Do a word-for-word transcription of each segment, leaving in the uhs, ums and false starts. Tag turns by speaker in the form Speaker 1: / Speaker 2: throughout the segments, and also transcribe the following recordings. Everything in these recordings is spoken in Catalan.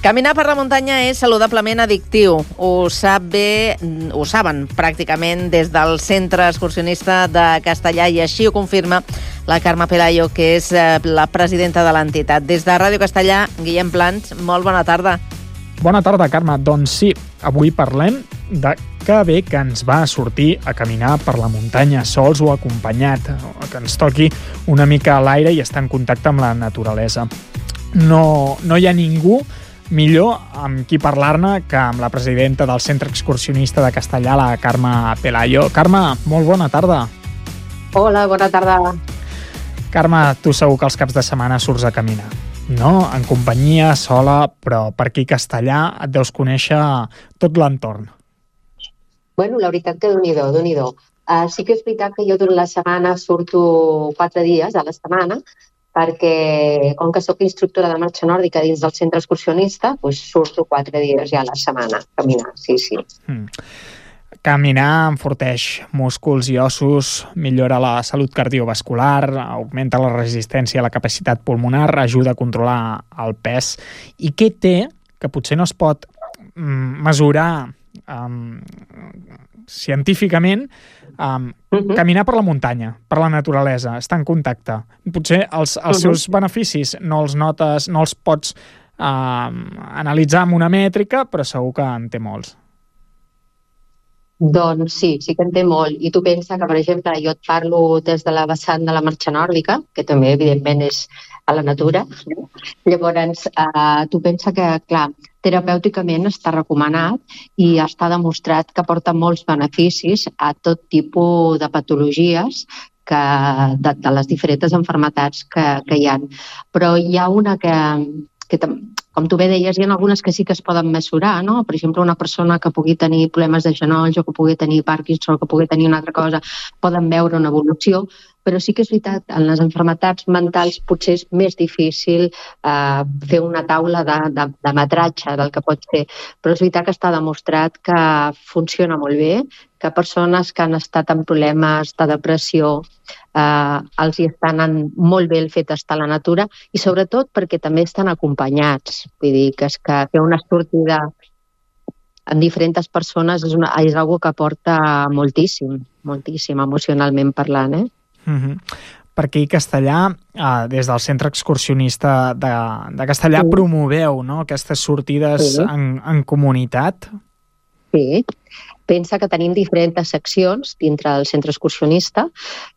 Speaker 1: Caminar per la muntanya és saludablement addictiu. Ho sap bé, ho saben pràcticament des del Centre Excursionista de Castellar i així ho confirma la Carme Pelayo, que és la presidenta de l'entitat. Des de Ràdio Castellar, Guillem Plans, molt bona tarda.
Speaker 2: Bona tarda, Carme. Doncs sí, avui parlem de que bé que ens va sortir a caminar per la muntanya, sols o acompanyat, que ens toqui una mica a l'aire i estar en contacte amb la naturalesa. No, no hi ha ningú millor amb qui parlar-ne que amb la presidenta del Centre Excursionista de Castellar, la Carme Pelayo. Carme, molt bona tarda.
Speaker 3: Hola, bona tarda.
Speaker 2: Carme, tu segur que els caps de setmana surts a caminar, no? En companyia, sola, però per aquí a Castellar et deus conèixer tot l'entorn.
Speaker 3: Bueno, la veritat que déu-n'hi-do, déu-n'hi-do. Uh, sí que és veritat que jo durant la setmana surto quatre dies a la setmana, perquè com que sóc instructora de marxa nòrdica dins del centre excursionista, doncs surto quatre dies ja a la setmana a caminar, sí, sí.
Speaker 2: Mm. Caminar enforteix músculs i ossos, millora la salut cardiovascular, augmenta la resistència a la capacitat pulmonar, ajuda a controlar el pes. I què té, que potser no es pot mm, mesurar um, científicament, Um, uh-huh. caminar per la muntanya, per la naturalesa, estar en contacte. Potser els, els uh-huh. seus beneficis no els notes, no els pots uh, analitzar amb una mètrica, però segur que en té molts.
Speaker 3: Doncs sí, sí que en té molt. I tu pensa que, per exemple, jo et parlo des de la vessant de la marxa nòrdica, que també, evidentment, és a la natura. Llavors, eh, tu pensa que, clar, terapèuticament està recomanat i està demostrat que porta molts beneficis a tot tipus de patologies que, de, de les diferents malalties que, que hi ha. Però hi ha una que, que, com tu bé deies, hi ha algunes que sí que es poden mesurar, no? Per exemple, una persona que pugui tenir problemes de genolls o que pugui tenir Parkinson o que pugui tenir una altra cosa, poden veure una evolució, però sí que és veritat, en les malalties mentals potser és més difícil eh, fer una taula de, de, de metratge del que pot ser, però és veritat que està demostrat que funciona molt bé, que persones que han estat en problemes de depressió eh, els hi estan anant molt bé el fet d'estar a la natura i sobretot perquè també estan acompanyats. Vull dir que és que fer una sortida amb diferents persones és, una, és una que aporta moltíssim, moltíssim emocionalment parlant, eh?
Speaker 2: Uh-huh. Per aquí a Castellar, eh, des del Centre Excursionista de, de Castellar, sí. promoveu, no?, aquestes sortides sí. en, en comunitat.
Speaker 3: Sí, pensa que tenim diferents seccions dintre del centre excursionista.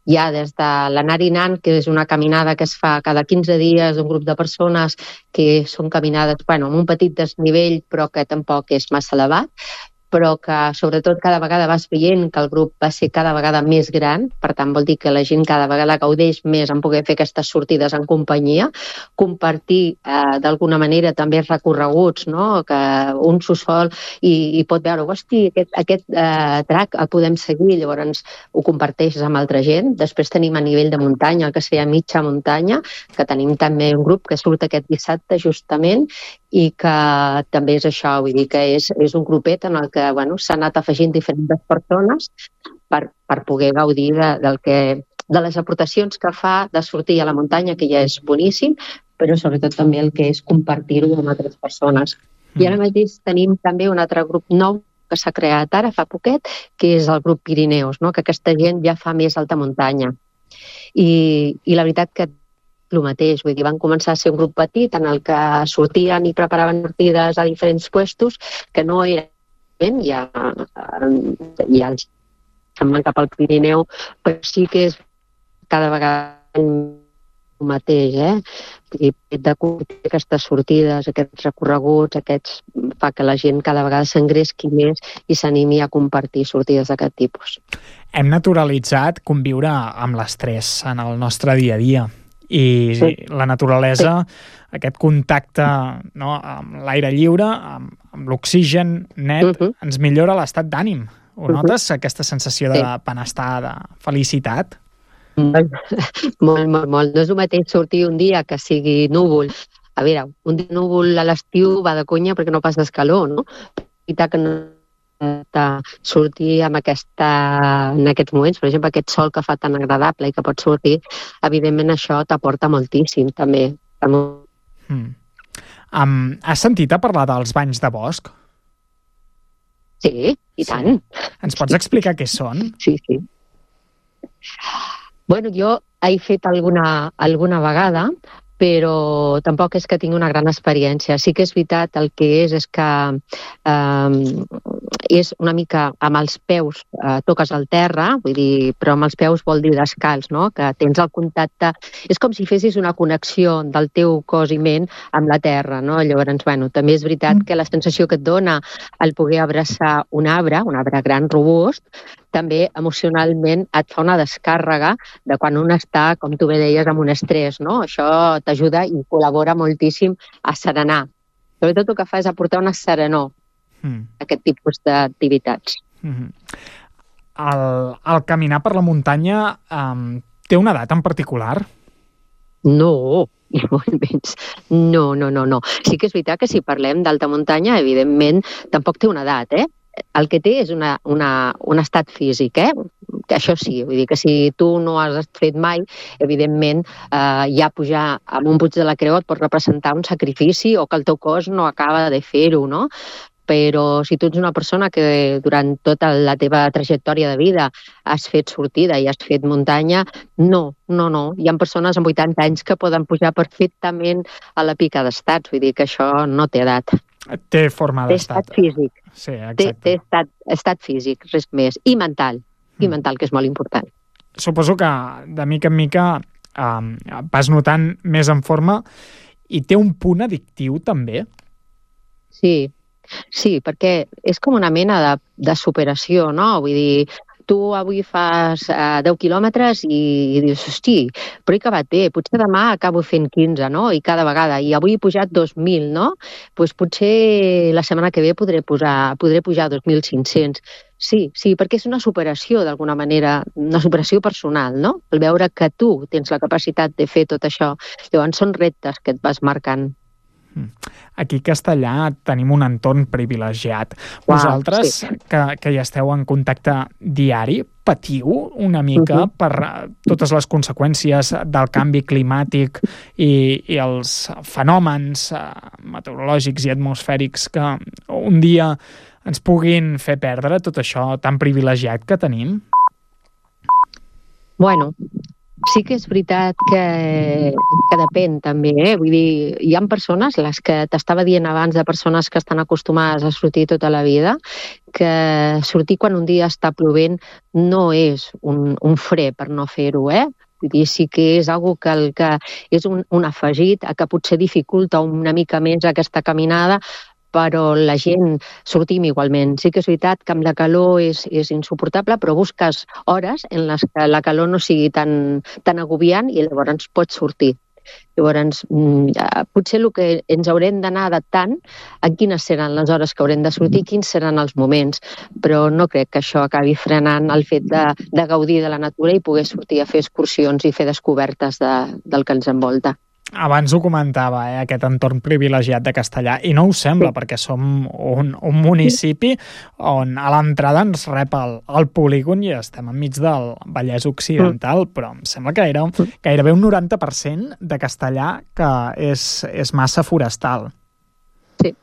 Speaker 3: Hi ha des de l'anar i anant, que és una caminada que es fa cada quinze dies d'un grup de persones que són caminades, bueno, amb un petit desnivell però que tampoc és massa elevat, però que sobretot cada vegada vas veient que el grup va ser cada vegada més gran, per tant vol dir que la gent cada vegada gaudeix més en poder fer aquestes sortides en companyia, compartir eh, d'alguna manera també recorreguts, no? Que un s'ho sol i, i pot veure, hosti, aquest, aquest eh, track el podem seguir, llavors ho comparteixes amb altra gent. Després tenim a nivell de muntanya, el que seria mitja muntanya, que tenim també un grup que surt aquest dissabte justament i que també és això, vull dir que és, és un grupet en el que bueno, s'ha anat afegint diferents persones per, per poder gaudir de, del que, de les aportacions que fa de sortir a la muntanya, que ja és boníssim, però sobretot també el que és compartir-ho amb altres persones. Mm. I ara mateix tenim també un altre grup nou que s'ha creat ara fa poquet, que és el grup Pirineus, no? Que aquesta gent ja fa més alta muntanya. I, i la veritat que el mateix, vull dir, van començar a ser un grup petit en el que sortien i preparaven sortides a diferents puestos que no eren ja, ja els se'n van cap al Pirineu, però sí que és cada vegada el mateix, eh? I de curtir aquestes sortides, aquests recorreguts, aquests fa que la gent cada vegada s'engresqui més i s'animi a compartir sortides d'aquest tipus.
Speaker 2: Hem naturalitzat conviure amb l'estrès en el nostre dia a dia. I sí. la naturalesa, sí. aquest contacte, no, amb l'aire lliure, amb, amb l'oxigen net, uh-huh. ens millora l'estat d'ànim. Ho uh-huh. notes, aquesta sensació de sí. benestar, de felicitat?
Speaker 3: Molt, molt, molt, molt. No és el mateix sortir un dia que sigui núvol. A veure, un dia núvol a l'estiu va de conya perquè no passes calor, no? I que no de sortir amb aquesta, en aquests moments, per exemple, aquest sol que fa tan agradable i que pots sortir, evidentment això t'aporta moltíssim també.
Speaker 2: Mm. Um, has sentit a parlar dels banys de bosc?
Speaker 3: Sí, i tant.
Speaker 2: Sí. Ens pots explicar què són?
Speaker 3: Sí, sí. Bueno, jo he fet alguna, alguna vegada, però tampoc és que tingui una gran experiència. Sí que és veritat, el que és és que eh, és una mica amb els peus, eh, toques el terra, vull dir, però amb els peus vol dir descalç, no? Que tens el contacte... És com si fessis una connexió del teu cos i ment amb la terra, no? Llavors, bueno, també és veritat que la sensació que et dona el poder abraçar un arbre, un arbre gran, robust, també emocionalment et fa una descàrrega de quan un està, com tu bé deies, amb un estrès, no? Això t'ajuda i col·labora moltíssim a serenar. Sobretot el que fa és aportar una serenor mm. a aquest tipus d'activitats.
Speaker 2: Mm-hmm. El, el caminar per la muntanya um, té una edat en particular?
Speaker 3: No, ni molt menys. No, no, no, no. Sí que és veritat que si parlem d'alta muntanya, evidentment, tampoc té una edat, eh? El que té és una, una, un estat físic, eh? Que això sí, vull dir que si tu no has fet mai, evidentment, eh, ja pujar amb un Puig de la Creu et pot representar un sacrifici o que el teu cos no acaba de fer-ho, no? Però si tu ets una persona que durant tota la teva trajectòria de vida has fet sortida i has fet muntanya, no, no, no. Hi ha persones amb vuitanta anys que poden pujar perfectament a la pica d'estats, vull dir que això no té edat.
Speaker 2: Té forma d'estat.
Speaker 3: Té estat físic.
Speaker 2: Sí, exacte.
Speaker 3: Té, té estat, estat físic, res més. I mental. I
Speaker 2: Mm.
Speaker 3: mental, que és molt important.
Speaker 2: Suposo que de mica en mica um, vas notant més en forma i té un punt addictiu també?
Speaker 3: Sí, sí, perquè és com una mena de, de superació, no? Vull dir, tu avui fas uh, deu quilòmetres i, i dius, hosti, però he acabat bé, potser demà acabo fent quinze, no? I cada vegada, i avui he pujat dos mil, no? Doncs pues potser la setmana que ve podré, posar, podré pujar dos mil cinc-cents. Sí, sí, perquè és una superació, d'alguna manera, una superació personal, no? El veure que tu tens la capacitat de fer tot això. Llavors són reptes que et vas marcant.
Speaker 2: Aquí a Castellà tenim un entorn privilegiat.
Speaker 3: Uau,
Speaker 2: Vosaltres,
Speaker 3: sí.
Speaker 2: que, que hi esteu en contacte diari, patiu una mica uh-huh. per totes les conseqüències del canvi climàtic i, i els fenòmens uh, meteorològics i atmosfèrics que un dia ens puguin fer perdre tot això tan privilegiat que tenim?
Speaker 3: Bueno, sí que és veritat que, que depèn també, eh? Vull dir, hi ha persones, les que t'estava dient abans, de persones que estan acostumades a sortir tota la vida, que sortir quan un dia està plovent no és un, un fre per no fer-ho, eh? Vull dir, sí que és algo que, el, que és un, un afegit a que potser dificulta una mica més aquesta caminada, però la gent sortim igualment. Sí que és veritat que amb la calor és, és insuportable, però busques hores en les que la calor no sigui tan, tan agobiant i llavors pots sortir. Llavors, potser el que ens haurem d'anar adaptant a quines seran les hores que haurem de sortir, quins seran els moments, però no crec que això acabi frenant el fet de, de gaudir de la natura i poder sortir a fer excursions i fer descobertes de, del que ens envolta.
Speaker 2: Abans ho comentava, eh, aquest entorn privilegiat de Castellà, i no ho sembla, sí. perquè som un, un municipi on a l'entrada ens rep el, el polígon i estem enmig del Vallès Occidental, però em sembla que era gairebé un noranta per cent de Castellà que és, és massa forestal.
Speaker 3: Sí.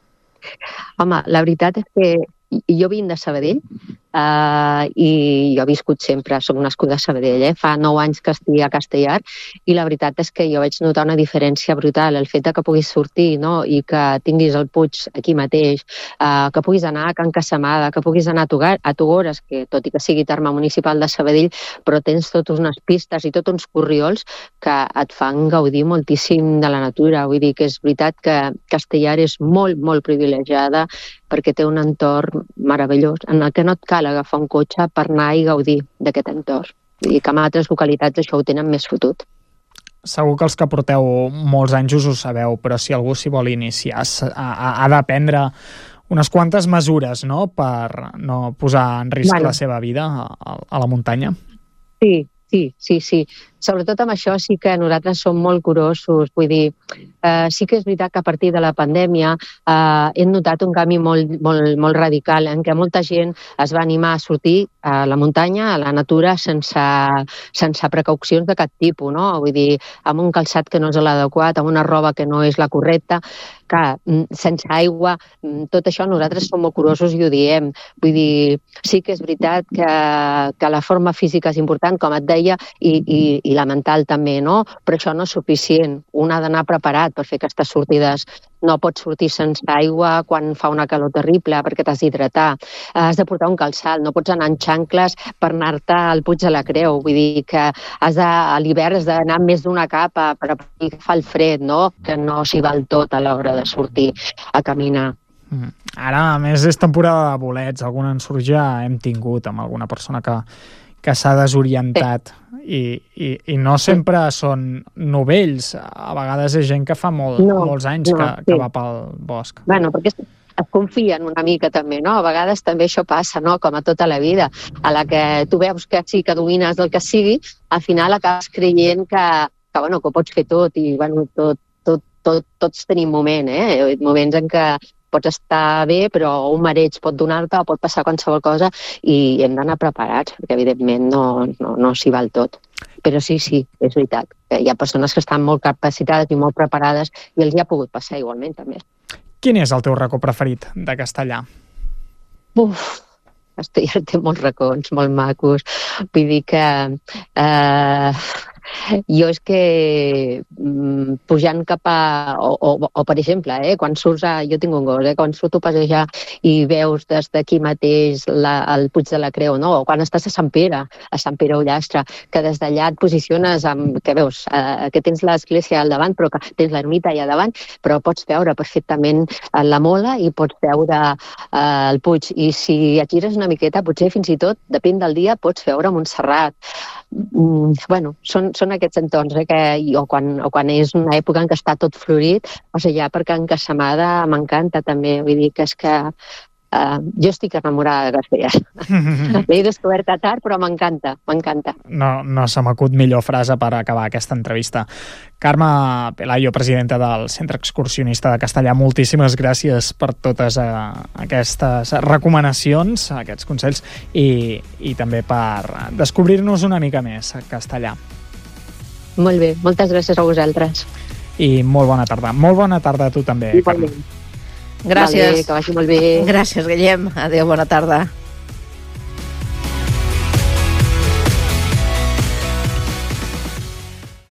Speaker 3: Home, la veritat és que jo vinc de Sabadell uh, i jo he viscut sempre, soc nascuda a Sabadell, eh? Fa nou anys que estic a Castellar i la veritat és que jo vaig notar una diferència brutal, el fet de que puguis sortir, no? I que tinguis el Puig aquí mateix, uh, que puguis anar a Can Casamada, que puguis anar a, Tugar, a Tugores, que tot i que sigui terme municipal de Sabadell, però tens totes unes pistes i tots uns corriols que et fan gaudir moltíssim de la natura. Vull dir que és veritat que Castellar és molt, molt privilegiada perquè té un entorn meravellós en el que no et cal agafar un cotxe per anar i gaudir d'aquest entorn. Vull dir que en altres localitats això ho tenen més fotut.
Speaker 2: Segur que els que porteu molts anys us ho sabeu, però si algú s'hi vol iniciar ha, ha de prendre unes quantes mesures, no?, per no posar en risc bueno. la seva vida a, a la muntanya.
Speaker 3: Sí, sí, sí, sí. sobretot amb això sí que nosaltres som molt curosos, vull dir, eh, sí que és veritat que a partir de la pandèmia eh, hem notat un canvi molt, molt, molt radical en què molta gent es va animar a sortir a la muntanya, a la natura, sense, sense precaucions de cap tipus, no? Vull dir, amb un calçat que no és l'adequat, amb una roba que no és la correcta, clar, sense aigua, tot això nosaltres som molt curosos i ho diem. Vull dir, sí que és veritat que, que la forma física és important, com et deia, i, i, i la mental també, no? Però això no és suficient. Un ha d'anar preparat per fer aquestes sortides. No pots sortir sense aigua quan fa una calor terrible perquè t'has d'hidratar. Has de portar un calçat, no pots anar en xancles per anar-te al Puig de la Creu. Vull dir que has de, a l'hivern has d'anar més d'una capa per agafar el fred, no? Que no s'hi val tot a l'hora de sortir a caminar.
Speaker 2: Mm. Ara, a més, és temporada de bolets. Algun ensurt ja hem tingut amb alguna persona que, que s'ha desorientat. Sí. I, i, i no sempre són novells. A vegades és gent que fa molt, no, molts anys no, que, sí. que va pel bosc.
Speaker 3: Bueno, perquè es confien una mica també, no? A vegades també això passa, no? Com a tota la vida. A la que tu veus que sí que domines el que sigui, al final acabes creient que, que, bueno, que ho pots fer tot i bueno, tot, tot, tot, tots tenim moment, eh? Moments en què pots estar bé, però un mareig pot donar-te o pot passar qualsevol cosa i hem d'anar preparats, perquè evidentment no, no, no s'hi val tot. Però sí, sí, és veritat. Hi ha persones que estan molt capacitades i molt preparades i els hi ha pogut passar igualment també.
Speaker 2: Quin és el teu racó preferit de Castellar?
Speaker 3: Uf, Castellar té molts racons, molt macos. Vull dir que... Eh, jo és que mm, pujant cap a... O, o, o per exemple, eh, quan surts a... Jo tinc un gos, eh, quan surto a passejar i veus des d'aquí mateix la, el Puig de la Creu, no? O quan estàs a Sant Pere, a Sant Pere Ullastre, que des d'allà et posiciones amb... Que veus, eh, que tens l'església al davant, però que tens l'ermita allà davant, però pots veure perfectament la Mola i pots veure eh, el Puig. I si et gires una miqueta, potser fins i tot, depèn del dia, pots veure Montserrat. Mm, bueno, són, són aquests entorns, eh, que, o, quan, o quan és una època en què està tot florit, o sigui, ja per Can Casamada m'encanta també, vull dir que és que Uh, jo estic enamorada de Castellar. L'he descoberta tard, però m'encanta, m'encanta.
Speaker 2: No, no se m'acut millor frase per acabar aquesta entrevista. Carme Pelayo, presidenta del Centre Excursionista de Castellar, moltíssimes gràcies per totes uh, aquestes recomanacions, aquests consells, i, i també per descobrir-nos una mica més a Castellar.
Speaker 3: Molt bé, moltes gràcies a vosaltres.
Speaker 2: I molt bona tarda. Molt bona tarda a tu també, Carme.
Speaker 1: Gràcies.
Speaker 3: Vale, que vagi molt bé.
Speaker 1: Gràcies, Guillem. Adéu, bona tarda.